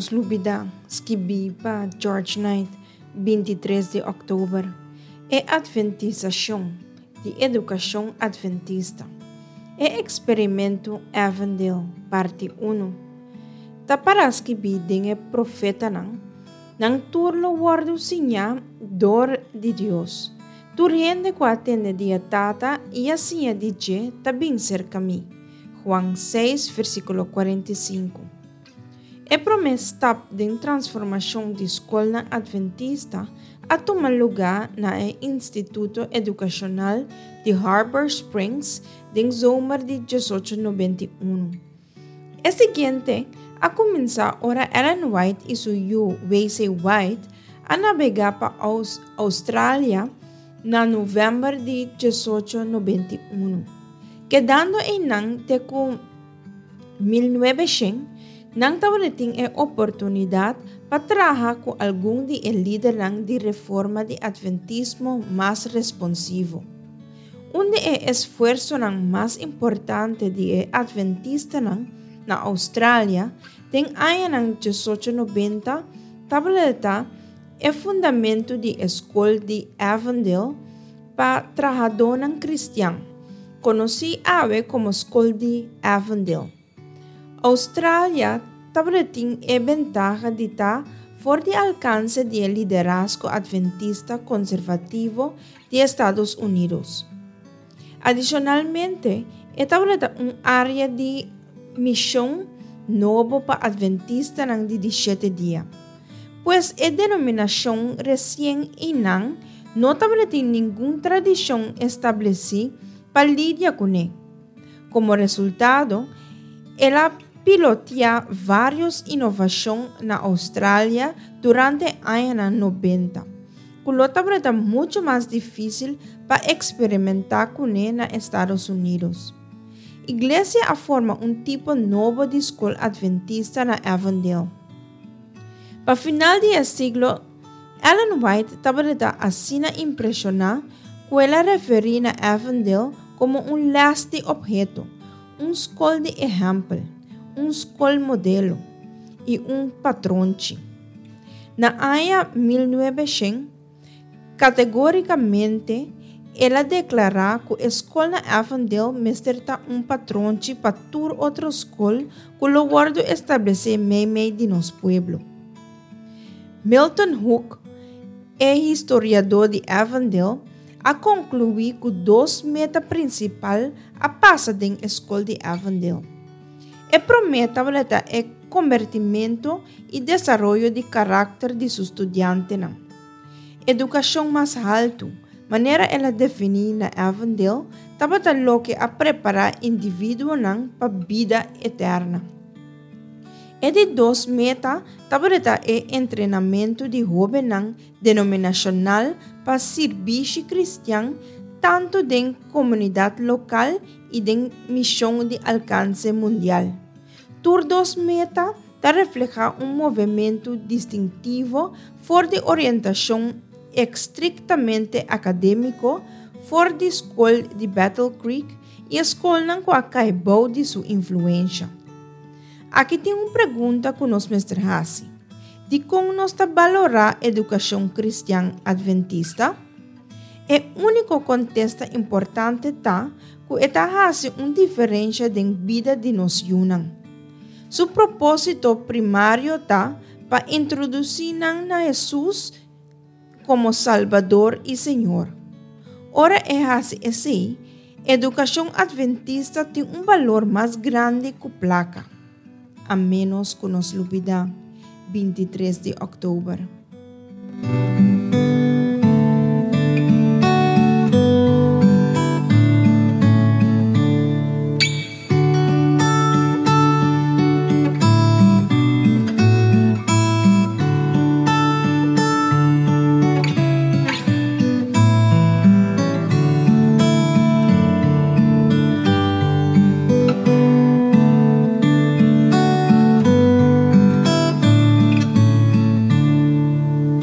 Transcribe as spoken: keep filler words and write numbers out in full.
nos lubidá, skibí pa George Knight, binti tres di òktober. E atventisashon di edukashon atventista. E eksperimento Avondale, parti unu. Ta pará skibí den e profetanan, Nan tur lo wòrdu siñá dor di Dios. Tur hende ku a tende di e Tata i a siña di dje ta bin serka mi. Juan seis, versíkulo kuarenta i sinku. E promé stap den transformashon di skolnan atventista a tuma lugá na e Instituto Edukashonal di Harbor Springs den zomer di diesocho nobenta i unu. E siguiente a kuminsá ora Ellen White i su yu W C. White a nabegá pa Australia na novèmber di diesocho nobenta i unu. Kedando einan te ku mil nuebeshen, nan tabatin e oportunidat pa traha ku algun di e lidernan di reforma di atventismo mas responsivo. Un di e esfuersonan mas importante di e atventistanan na Australia den añanan diesocho nobenta tabata e fundamentu di e skol di Avondale pa trahadónan kristian, konosí awe komo Skol di Avondale. Australia tabatin e bentaha di ta for di alkanse di e liderazgo atventista konservativo di Estados Unidos. Adishonalmente, e tabata un área di mishon nobo pa atventistanan di di shete dia. Pues e denominashon resien einan no tabatin ningun tradishon establesí pa lidia kuné. Komo resultado, el a piloteá vários inovashon na Australia durante añanan nobenta, ku lo tabata muchu mas difísil pa eksperimentá kuné na Estados Unidos. Iglesia a forma un tipo nobo di skol atventista na Avondale. Pa final di e siglo, Ellen White tabata asina impreshoná ku el a referí na Avondale komo un lès di opheto, un skol di ehèmpel, un skol modelo i un patronchi. Na aña mil nuebeshen, kategórikamente el a deklará ku e skol na Avondale mester ta un patronchi pa tur otro skol ku lo wòrdu establesé meimei di nos pueblo. Milton Hook, e historiadó di Avondale, a konkluí ku dos meta prinsipal a pasa den e skol di Avondale. E promé tabata e kombertimentu i desaroyo di karakter di su studiantenan. Edukashon mas haltu, manera el a definí na Avondale, tabata loke a prepará individuonan pa bida eterna. E di dos meta tabata e entrenamentu di hóbennan denominashonal pa sirbishi kristian tantu den komunidat lokal i den mishon di alkanse mundial. Tur dos meta ta reflehá un movementu distintivo for di orientashon estriktamente akadémiko for di skol di Battle Creek i e skolnan ku a kai bou di su influensha. Aki tin un pregunta ku nos mester hasi. Dikon nos ta balorá edukashon kristian adventista? E úniko kontesta importante ta ku e ta hasi un diferensha den bida di nos yunan. Su propósito primario ta pa introdusí nan na Hesus komo Salbador i Señor. Ora e hasi esei, edukashon adventista tin un balor mas grandi ku plaka. A ménos ku nos lubidá, bintitres di òktober.